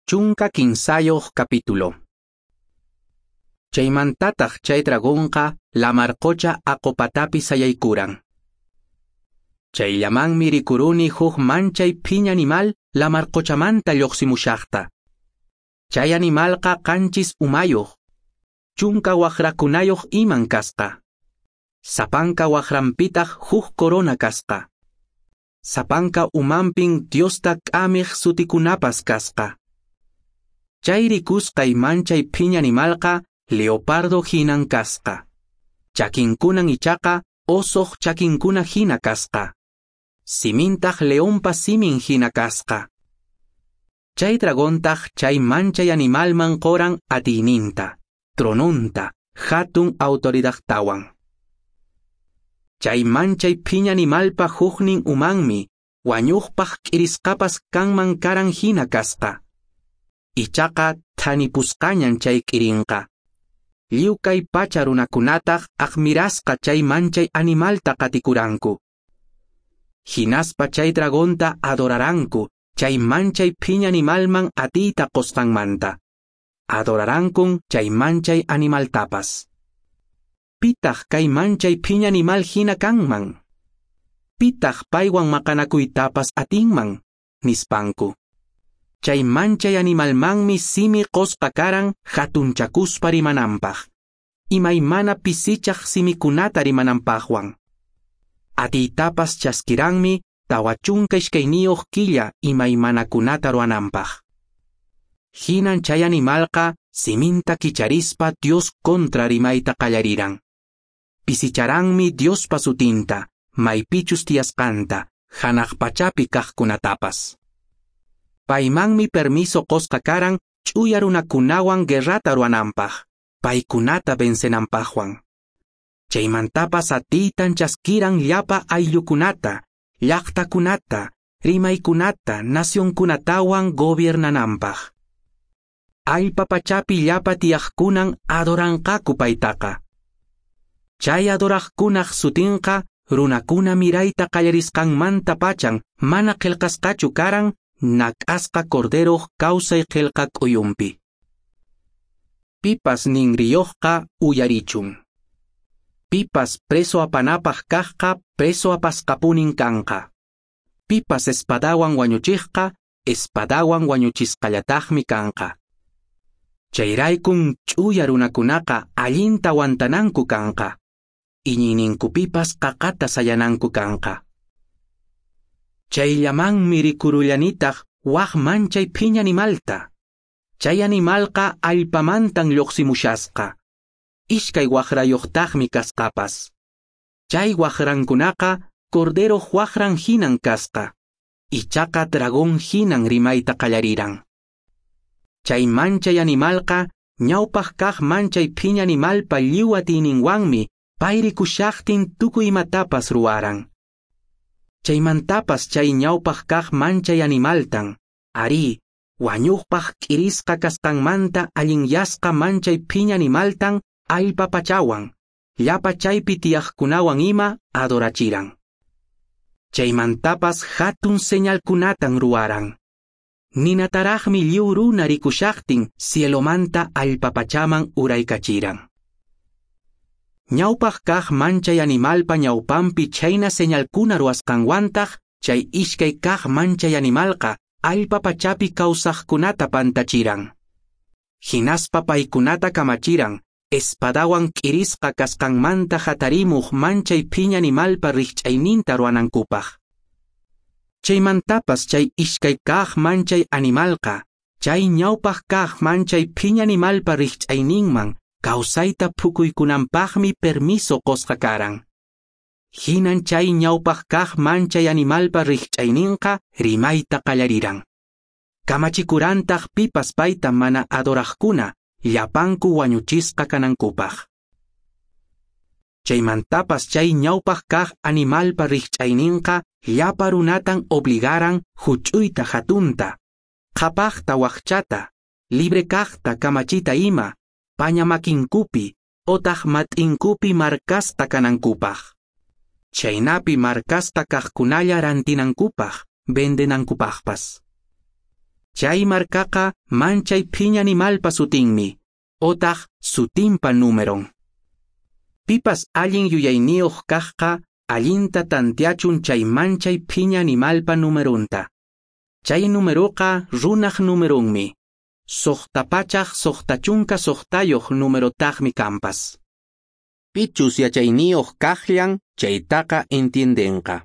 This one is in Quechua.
13 capítulo. Chaymantataq chay dragonqa lamar qocha aqopatapi sayaykuran. Chayllamanmi rikuruni huk manchay phiña animal lamar qochamanta lluqsimushaqta. Chay animalqa qanchis umayuq, chunka waqrakunayuq iman kasqa. Sapanka waqranpitaq huk corona kasqa. Sapanka umanpin Diosta k'amiq sutikunapas kasqa. Chay rikusqay manchay phiña animalqa leopardo hinan kasqa. Chakinkunan ichaqa osoq chakinkuna hina kasqa. Simintaq leonpa simin hina kasqa. Chay dragontaq chay manchay animalman qoran atiyninta, tronunta, hatun autoridadtawan. Chay manchay phiña animalpa huknin umanmi, wañuqpaq k'irisqapas kanman karan hina kasqa. Ichaqa thanipusqañan chay k'irinqa. Lliw kay pacha runakunataq aqmirasqa chay manchay animalta qatikuranku. Hinaspa chay dragonta adoraranku, chay manchay phiña animalman atiyta qosqanmanta. Adorarankun chay manchay animaltapas. Pitaq kay manchay phiña animal hina kanman? Pitaq paywan maqanakuytapas atinman? Nispanku. Chay manchay animalmanmi simi qosqa karan hatunchakuspa rimananpaq. Imaymana pisichaq simikunata rimananpaqwan. Atiytapas chaskiranmi 42 killa imaymanakunata ruwananpaq. Hinan chay animalqa siminta kicharispa Dios contra rimayta qallariran. Pisicharanmi Diospa sutinta, maypichus tiyasqanta, hanaq pachapi kaqkunatapas. Paymanmi permiso qosqa karan ch'uya runakunawan guerrata ruwananpaq, paykunata vencenanpaqwan. Chaymantapas atiytan chaskiran llapa ayllukunata, llaqtakunata, rimaykunata, nacionkunatawan gobiernananpaq. Allpa pachapi llapa tiyaqkunan adoranqaku paytaqa. Chay adoraqkunaq sutinqa runakuna mirayta qallarisqanmanta pachan mana qillqasqachu karan nak'asqa corderoq kawsay qillqa k'uyunpi. Pipas ninriyuqqa uyarichun. Pipas preso apanapaq kaqqa preso apasqapunin kanqa. Pipas espadawan wañuchiqqa espadawan wañuchisqallataqmi kanqa. Chayraykun ch'uya runakunaqa allinta aguantananku kanqa. Iñiyninkupipas qaqata sayananku kanqa. Chayllamanmi rikurullanitaq waq manchay phiña animalta. Chay animalqa allpamantan lluqsimushasqa. Ishkay waqrayuqtaqmi kasqapas. Chay waqrankunaqa corderoq waqran hinan kasqa. Ichaqa dragón hinan rimayta qallariran. Chay manchay animalqa ñawpaq kaq manchay phiña animalpa lliw atiyninwanmi pay rikushaqtin tukuy imatapas ruwaran. Chaymantapas chay ñawpaq kaq manchay animaltan, arí, wañuqpaq k'irisqa kasqanmanta allinyasqa manchay phiña animaltan allpa pachawan, llapa chaypi tiyaqkunawan ima adorachiran. Chaymantapas hatun señalkunatan ruwaran. Ninataraqmi lliw runa rikushaqtin cielomanta allpa pachaman uraykachiran. Ñawpaq kaq manchay animalpa ñawpanpi chayna señalkuna ruwasqanwantaq chay ishkay kaq manchay animalqa allpa pachapi kawsaqkunata pantachiran. Hinaspa paykunata kamachiran espadawan k'irisqa kasqanmanta hatarimuq manchay phiña animalpa rikch'ayninta ruwanankupaq. Chaymantapas chay ishkay kaq manchay animalqa chay ñawpaq kaq manchay phiña animalpa rikch'ayninman kawsayta phukuykunanpaqmi permiso qosqa karan. Hinan chay ñawpaq kaq manchay animalpa rikch'ayninqa rimayta qallariran. Kamachikurantaq pipas payta mana adoraqkuna llapanku wañuchisqa kanankupaq. Chaymantapas chay ñawpaq kaq animalpa rikch'ayninqa llapa runatan obligaran huch'uyta hatunta, qhapaqta waqchata, libre kaqta kamachita ima, paña makinkupi otaq mat'inkupi markasqa kanankupaq. Chaynapi markasqa kaqkunalla rantinankupaq, vendenankupaqpas. Chay markaqa manchay phiña animalpa sutinmi, otaq sutinpa númeron. Pipas allin yuyayniyuq kaqqa allinta tanteachun chay manchay phiña animalpa numerunta. Chay numeroqa runaq numerunmi. 666 numerotaqmi kampas. Pichus yachayniyuq kaqllan chaytaqa entiendenqa.